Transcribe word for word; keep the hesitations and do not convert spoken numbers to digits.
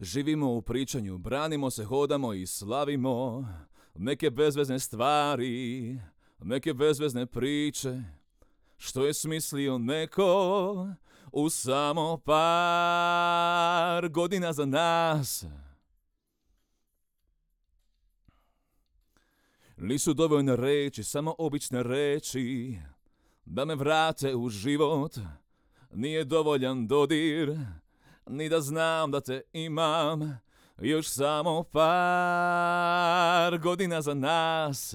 Živimo u pričanju, branimo se, hodamo i slavimo neke bezvezne stvari, neke bezvezne priče, što je smislio neko u samo par godina za nas. Nisu dovoljne reči, samo obične reči, da me vrate u život. Nije dovoljan dodir, ni da znam da te imam još samo par godina za nas.